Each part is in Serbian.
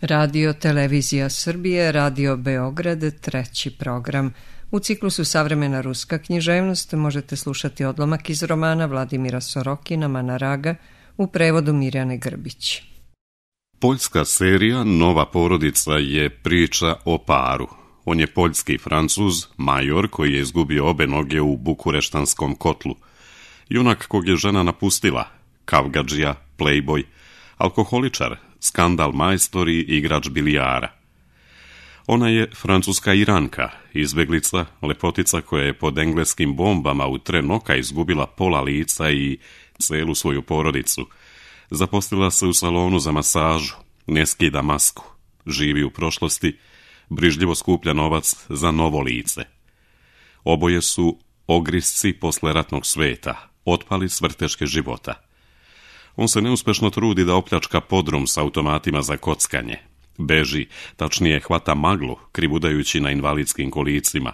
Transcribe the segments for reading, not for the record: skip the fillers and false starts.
Radio Televizija Srbije, Radio Beograd, treći program. U ciklusu Savremena ruska književnost možete slušati odlomak iz romana Vladimira Sorokina Manaraga u prevodu Mirjane Grbić. Poljska serija Nova porodica je priča o paru. On je poljski Francuz, major koji je izgubio obe noge u bukureštanskom kotlu. Junak kog je žena napustila, kavgadžija, playboy, alkoholičar, skandal majstor i igrač bilijara. Ona je francuska Iranka, izbeglica, lepotica koja je pod engleskim bombama u tren oka izgubila pola lica i celu svoju porodicu. Zaposlila se u salonu za masažu, ne skida masku, živi u prošlosti, brižljivo skuplja novac za novo lice. Oboje su ogrisci posleratnog sveta, otpali s vrteške života. On se neuspešno trudi da opljačka podrum s automatima za kockanje. Beži, tačnije hvata maglu, krivudajući na invalidskim kolicima.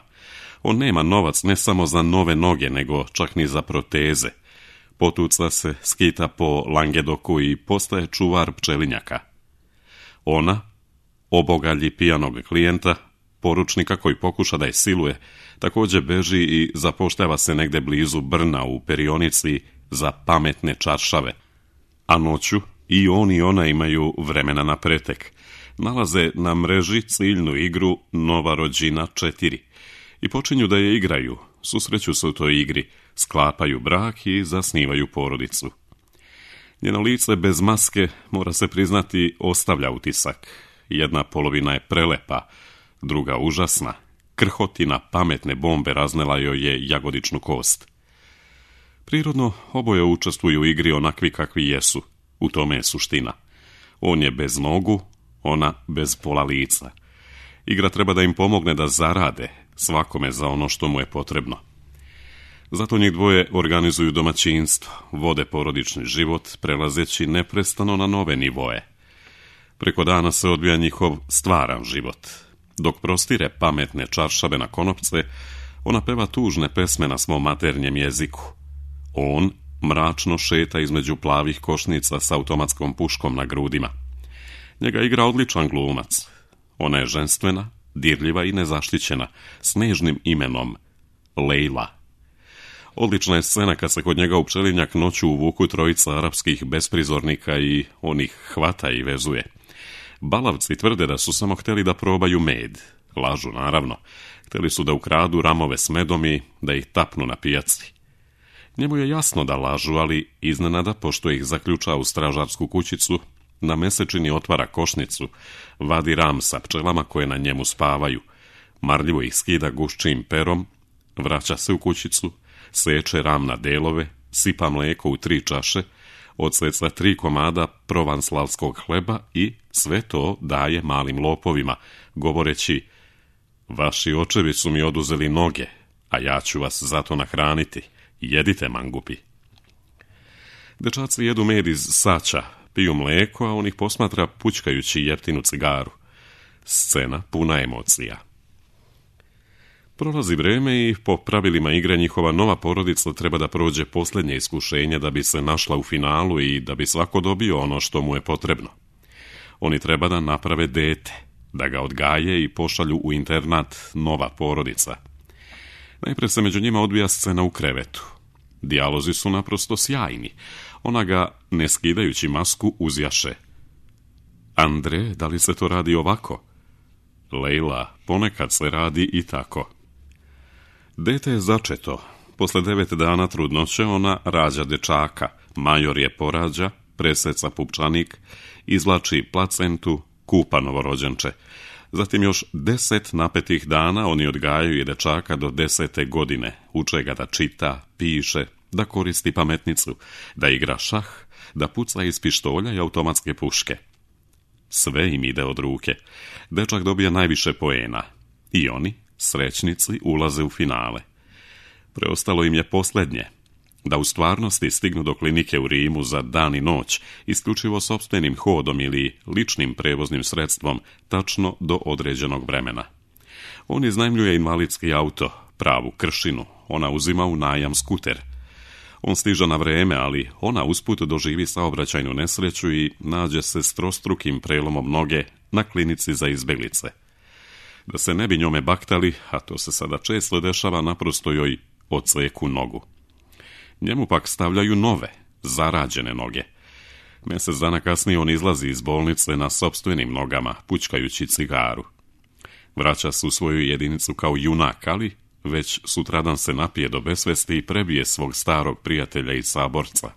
On nema novac ne samo za nove noge, nego čak ni za proteze. Potuca se, skita po Langedoku i postaje čuvar pčelinjaka. Ona obogalji pijanog klijenta, poručnika koji pokuša da je siluje, također beži i zapošljava se negde blizu Brna u perionici za pametne čaršave. A noću i on i ona imaju vremena na pretek. Nalaze na mreži ciljnu igru Nova rođina 4 i počinju da je igraju, susreću se u toj igri, sklapaju brak i zasnivaju porodicu. Njeno lice bez maske, mora se priznati, ostavlja utisak. Jedna polovina je prelepa, druga užasna. Krhotina pametne bombe raznela joj je jagodičnu kost. Prirodno, oboje učestvuju u igri onakvi kakvi jesu. U tome je suština. On je bez nogu, ona bez pola lica. Igra treba da im pomogne da zarade, svakome za ono što mu je potrebno. Zato njih dvoje organizuju domaćinstvo, vode porodični život, prelazeći neprestano na nove nivoe. Preko dana se odvija njihov stvaran život. Dok prostire pametne čaršave na konopce, ona peva tužne pesme na svom maternjem jeziku. On mračno šeta između plavih košnica s automatskom puškom na grudima. Njega igra odličan glumac. Ona je ženstvena, dirljiva i nezaštićena, s nežnim imenom Lejla. Odlična je scena kad se kod njega u pčelinjak noću uvuku trojica arapskih besprizornika i on ih hvata i vezuje. Balavci tvrde da su samo hteli da probaju med. Lažu, naravno. Hteli su da ukradu ramove s medom i da ih tapnu na pijaci. Njemu je jasno da lažu, ali iznenada, pošto ih zaključa u stražarsku kućicu, na mesečini otvara košnicu, vadi ram sa pčelama koje na njemu spavaju, marljivo ih skida guščim perom, vraća se u kućicu, seče ram na delove, sipa mlijeko u 3 čaše, odseca 3 komada provanslavskog hleba i sve to daje malim lopovima, govoreći: vaši očevi su mi oduzeli noge, a ja ću vas zato nahraniti. Jedite, mangupi. Dečaci jedu med iz sača, piju mlijeko, a on ih posmatra pućkajući jeftinu cigaru. Scena puna emocija. Prolazi vreme i po pravilima igre njihova nova porodica treba da prođe posljednje iskušenje da bi se našla u finalu i da bi svako dobio ono što mu je potrebno. Oni treba da naprave dete, da ga odgaje i pošalju u internat Nova porodica. Najpre se među njima odvija scena u krevetu. Dijalozi su naprosto sjajni. Ona ga, ne skidajući masku, uzjaše. Andre, da li se to radi ovako? Lejla, ponekad se radi i tako. Dete je začeto. Posle 9 dana trudnoće ona rađa dečaka. Major je porađa, preseca pupčanik, izvlači placentu, kupa novorođenče. Zatim još 10 napetih dana oni odgajaju i dečaka do 10. godine. Uče ga da čita, piše, da koristi pametnicu, da igra šah, da puca iz pištolja i automatske puške. Sve im ide od ruke. Dečak dobija najviše poena. I oni, srećnici, ulaze u finale. Preostalo im je posljednje. Da u stvarnosti stignu do klinike u Rimu za dan i noć, isključivo sopstvenim hodom ili ličnim prevoznim sredstvom, tačno do određenog vremena. On iznajmljuje invalidski auto, pravu kršinu, ona uzima u najam skuter. On stiže na vreme, ali ona usput doživi saobraćajnu nesreću i nađe se s trostrukim prelomom noge na klinici za izbjeglice. Da se ne bi njome baktali, a to se sada često dešava, naprosto joj odseku nogu. Njemu pak stavljaju nove, zarađene noge. Mjesec dana kasnije on izlazi iz bolnice na sopstvenim nogama, pučkajući cigaru. Vraća se u svoju jedinicu kao junak, ali već sutradan se napije do besvesti i prebije svog starog prijatelja i saborca.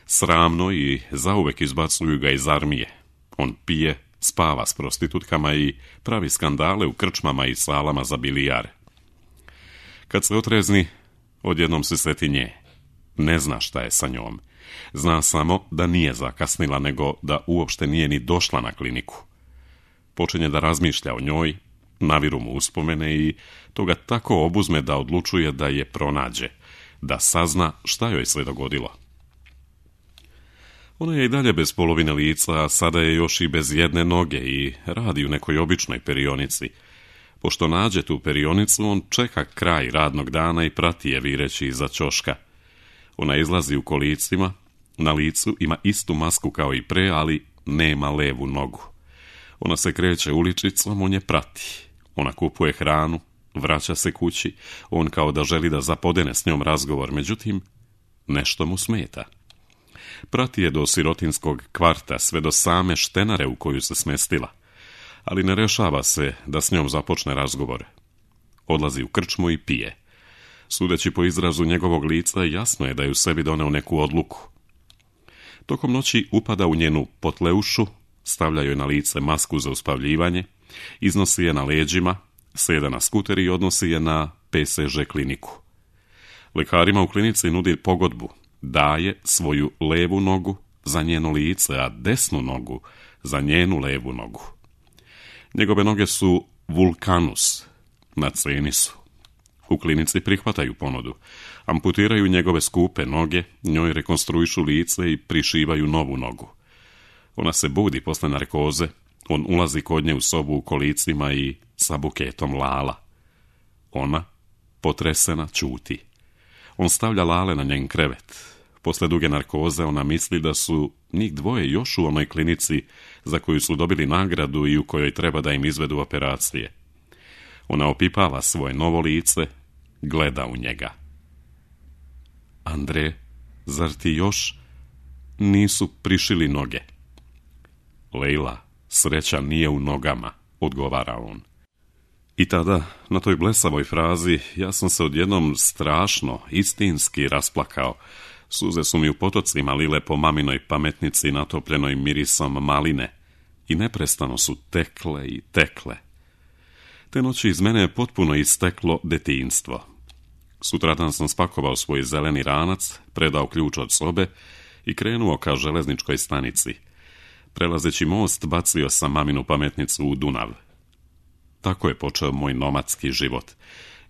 Sramno i zauvek izbacuju ga iz armije. On pije, spava s prostitutkama i pravi skandale u krčmama i salama za bilijar. Kad se otrezni, odjednom se seti nje. Ne zna šta je sa njom. Zna samo da nije zakasnila, nego da uopšte nije ni došla na kliniku. Počinje da razmišlja o njoj, naviru mu uspomene i to ga tako obuzme da odlučuje da je pronađe, da sazna šta joj se dogodilo. Ona je i dalje bez polovine lica, a sada je još i bez jedne noge i radi u nekoj običnoj perionici. Pošto nađe tu perionicu, on čeka kraj radnog dana i prati je vireći iza ćoška. Ona izlazi u kolicima, na licu ima istu masku kao i pre, ali nema levu nogu. Ona se kreće uličicom, on je prati. Ona kupuje hranu, vraća se kući, on kao da želi da zapodene s njom razgovor, međutim, nešto mu smeta. Prati je do sirotinskog kvarta, sve do same štenare u koju se smestila, ali ne rešava se da s njom započne razgovor. Odlazi u krčmu i pije. Sudeći po izrazu njegovog lica, jasno je da je u sebi doneo neku odluku. Tokom noći upada u njenu potleušu, stavlja joj na lice masku za uspavljivanje, iznosi je na leđima, sjeda na skuter i odnosi je na PSŽ kliniku. Lekarima u klinici nudi pogodbu, daje svoju levu nogu za njeno lice, a desnu nogu za njenu levu nogu. Njegove noge su vulkanus, na ceni su. U klinici prihvataju ponudu, amputiraju njegove skupe noge, njoj rekonstruišu lice i prišivaju novu nogu. Ona se budi posle narkoze, on ulazi kod nje u sobu u kolicima i sa buketom lala. Ona, potresena, ćuti. On stavlja lale na njen krevet. Posle duge narkoze ona misli da su njih dvoje još u onoj klinici za koju su dobili nagradu i u kojoj treba da im izvedu operacije. Ona opipava svoje novo lice, gleda u njega. Andre, zar ti još nisu prišili noge? Lejla, sreća nije u nogama, odgovara on. I tada, na toj blesavoj frazi, ja sam se odjednom strašno, istinski rasplakao. Suze su mi u potocima lile po maminoj pametnici natopljenoj mirisom maline i neprestano su tekle i tekle. Te noći iz mene je potpuno isteklo detinjstvo. Sutradan sam spakovao svoj zeleni ranac, predao ključ od sobe i krenuo ka železničkoj stanici. Prelazeći most, bacio sam maminu pametnicu u Dunav. Tako je počeo moj nomadski život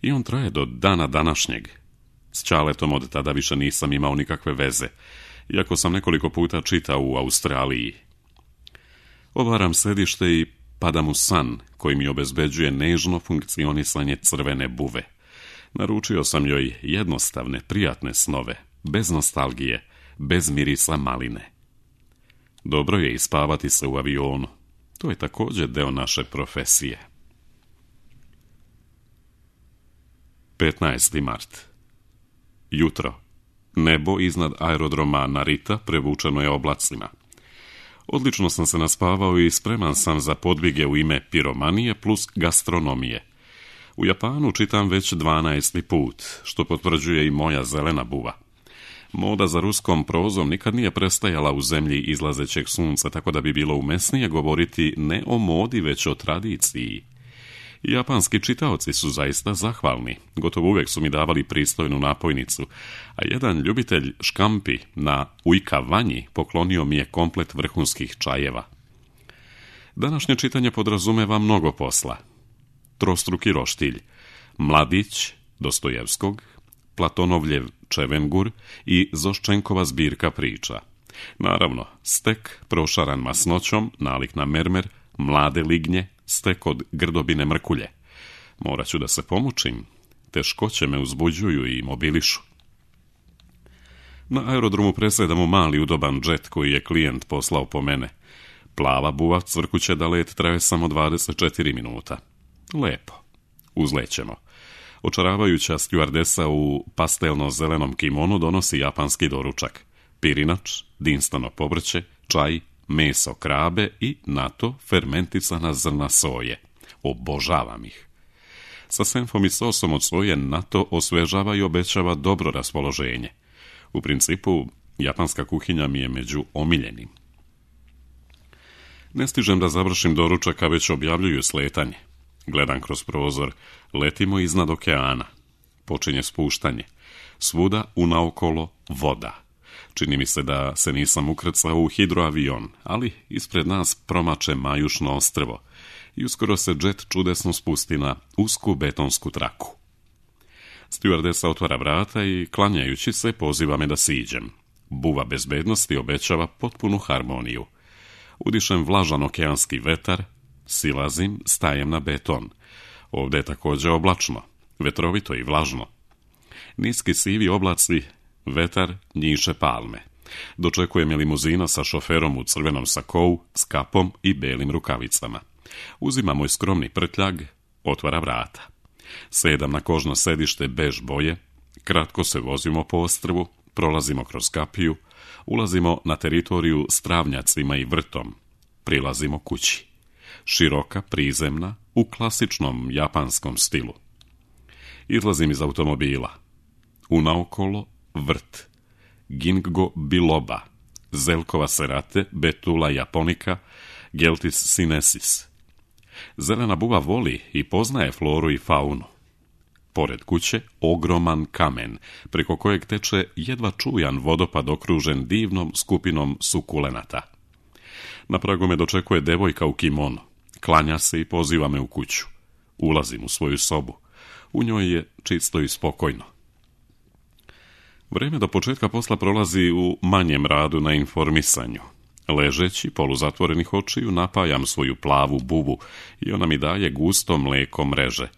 i on traje do dana današnjeg. S Čaletom od tada više nisam imao nikakve veze, iako sam nekoliko puta čitao u Australiji. Obaram sedište i padam u san koji mi obezbeđuje nežno funkcionisanje crvene buve. Naručio sam joj jednostavne, prijatne snove, bez nostalgije, bez mirisa maline. Dobro je ispavati se u avionu. To je također deo naše profesije. 15. mart. Jutro. Nebo iznad aerodroma Narita prevučeno je oblacima. Odlično sam se naspavao i spreman sam za podvige u ime piromanije plus gastronomije. U Japanu čitam već 12. put, što potvrđuje i moja zelena buva. Moda za ruskom prozom nikad nije prestajala u zemlji izlazećeg sunca, tako da bi bilo umesnije govoriti ne o modi, već o tradiciji. Japanski čitaoci su zaista zahvalni. Gotovo uvijek su mi davali pristojnu napojnicu, a jedan ljubitelj škampi na ujkavanji poklonio mi je komplet vrhunskih čajeva. Današnje čitanje podrazumeva mnogo posla. Trostruki roštilj, Mladić Dostojevskog, Platonovljev Čevengur i Zoščenkova zbirka priča. Naravno, stek prošaran masnoćom, nalik na mermer, mlade lignje, stek od grdobine mrkulje. Morat ću da se pomučim, teškoće me uzbuđuju i mobilišu. Na aerodromu presjedamo mali udoban džet koji je klijent poslao po mene. Plava buva cvrkuće da let traje samo 24 minuta. Lepo. Uzlećemo. Očaravajuća stjuardesa u pastelno-zelenom kimonu donosi japanski doručak. Pirinač, dinstano povrće, čaj, meso krabe i na to fermentisana zrna soje. Obožavam ih. Sa senfom i sosom od soje na to osvežava i obećava dobro raspoloženje. U principu, japanska kuhinja mi je među omiljenim. Ne stižem da završim doručak, a već objavljuju sletanje. Gledam kroz prozor, letimo iznad okeana. Počinje spuštanje. Svuda unaokolo voda. Čini mi se da se nisam ukrcao u hidroavion, ali ispred nas promače Majušno ostrvo i uskoro se džet čudesno spusti na usku betonsku traku. Stjuardesa otvara vrata i, klanjajući se, poziva me da siđem. Buva bezbednosti obećava potpunu harmoniju. Udišem vlažan okeanski vetar, silazim, stajem na beton. Ovdje je također oblačno, vetrovito i vlažno. Niski sivi oblaci, vetar, njiše palme. Dočekuje me limuzina sa šoferom u crvenom sakou, s kapom i belim rukavicama. Uzima moj skromni prtljag, otvara vrata. Sedam na kožno sedište bež boje, kratko se vozimo po ostrvu, prolazimo kroz kapiju, ulazimo na teritoriju s travnjacima i vrtom, prilazimo kući. Široka, prizemna, u klasičnom japanskom stilu. Izlazim iz automobila. Unaokolo vrt, Ginkgo biloba, Zelkova serate, Betula japonica, Geltis sinensis. Zelena buva voli i poznaje floru i faunu. Pored kuće ogroman kamen, preko kojeg teče jedva čujan vodopad okružen divnom skupinom sukulenata. Na pragu me dočekuje devojka u kimonu. Klanja se i poziva me u kuću. Ulazim u svoju sobu. U njoj je čisto i spokojno. Vrijeme do početka posla prolazi u manjem radu na informisanju. Ležeći, poluzatvorenih očiju, napajam svoju plavu bubu i ona mi daje gusto mlijeko mreže.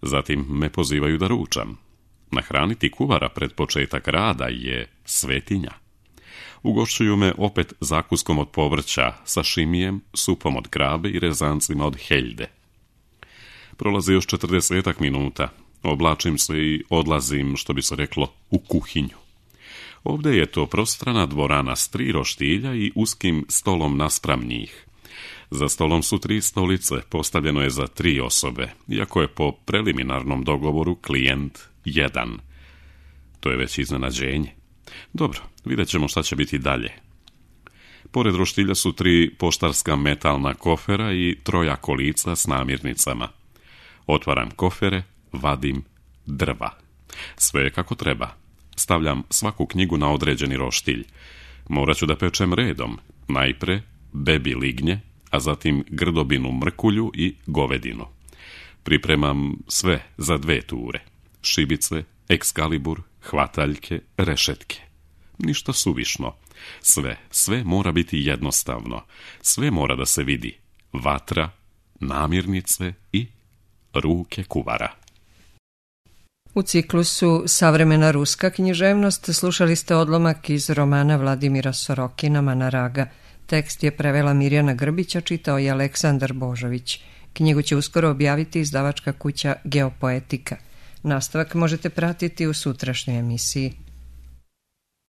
Zatim me pozivaju da ručam. Nahraniti kuvara pred početak rada je svetinja. Ugošćuju me opet zakuskom od povrća, sašimijem, supom od krabe i rezancima od heljde. Prolazi još 40 minuta. Oblačim se i odlazim, što bi se reklo, u kuhinju. Ovdje je to prostrana dvorana s 3 roštilja i uskim stolom naspram njih. Za stolom su 3 stolice, postavljeno je za 3 osobe, iako je po preliminarnom dogovoru klijent 1. To je već iznenađenje. Dobro, vidjet ćemo šta će biti dalje. Pored roštilja su 3 poštarska metalna kofera i 3 kolica s namirnicama. Otvaram kofere, vadim drva. Sve je kako treba. Stavljam svaku knjigu na određeni roštilj. Morat ću da pečem redom. Najpre bebi lignje, a zatim grdobinu mrkulju i govedinu. Pripremam sve za 2 ture. Šibice, ekskalibur, hvataljke, rešetke. Ništa suvišno. Sve mora biti jednostavno. Sve mora da se vidi. Vatra, namirnice i ruke kuvara. U ciklusu Savremena ruska književnost slušali ste odlomak iz romana Vladimira Sorokina Manaraga. Tekst je prevela Mirjana Grbića, čitao je Aleksandar Božović. Knjigu će uskoro objaviti izdavačka kuća Geopoetika. Nastavak možete pratiti u sutrašnjoj emisiji.